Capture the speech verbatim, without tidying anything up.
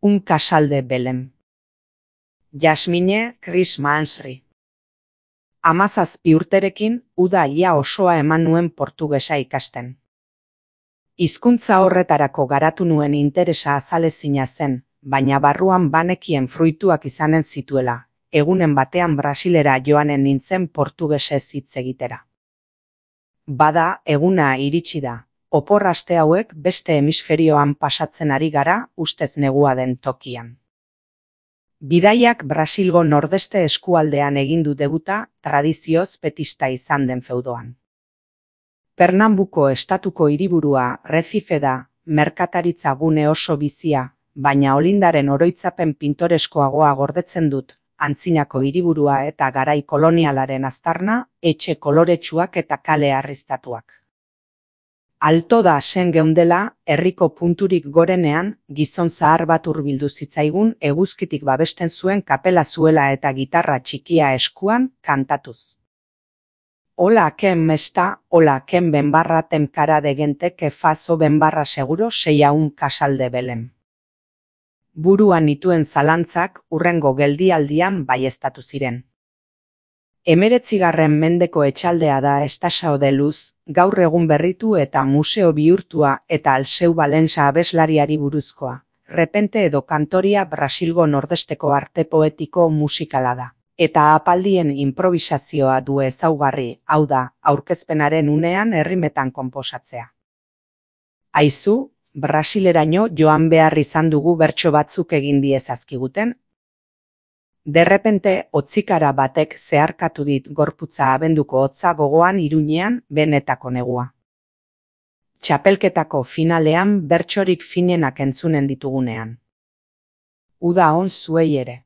Un casal de Belém. Jasmine Chris Mansry. Hamazazpi urterekin uda ia osoa eman nuen portugesa ikasten. Hizkuntza horretarako garatu nuen interesa azalezina zen, baina barruan banekien fruituak izanen zituela, egunen batean Brasilera joanen nintzen portugesez hitz egitera. Bada, eguna iritsi da. Opor aste hauek beste hemisferioan pasatzen ari gara ustez negua den tokian. Bidaiak Brasilgo nordeste eskualdean egin du debuta tradizioz petista izan den feudoan. Pernambuko estatuko hiriburua Recife da, merkataritza gune oso bizia, baina olindaren oroitzapen pintoreskoagoa gordetzen dut, antzinako hiriburua eta garai kolonialaren aztarna, etxe koloretsuak eta kale arriztatuak. Alto da sen geundela, herriko punturik gorenean, gizon zahar bat hurbildu zitzaigun eguzkitik babesten zuen kapela zuela eta gitarra txikia eskuan kantatuz. Hola ken mesta, hola ken benbarra temkara de gente que fazo benbarra seguro sei un casal de Belém. Buruan nituen zalantzak hurrengo geldialdian baieztatu ziren. Hemeretzigarren mendeko etxaldea da Estação de Luz, gaur egun berritu eta museo bihurtua eta Alceu Valença abeslariari buruzkoa. Repente edo kantoria Brasilgo nordesteko arte poetiko musikala da. Eta apaldien improvisazioa du ezaugarri, hau da, aurkezpenaren unean errimetan konposatzea. Aizu, Brasileraino joan behar izan dugu bertso batzuk egin diezazkiguten. Derrepente, hotzikara batek zeharkatu dit gorputza abenduko hotza gogoan Iruñean benetako negua. Txapelketako finalean bertsorik finenak entzunen ditugunean. Uda on zuei ere.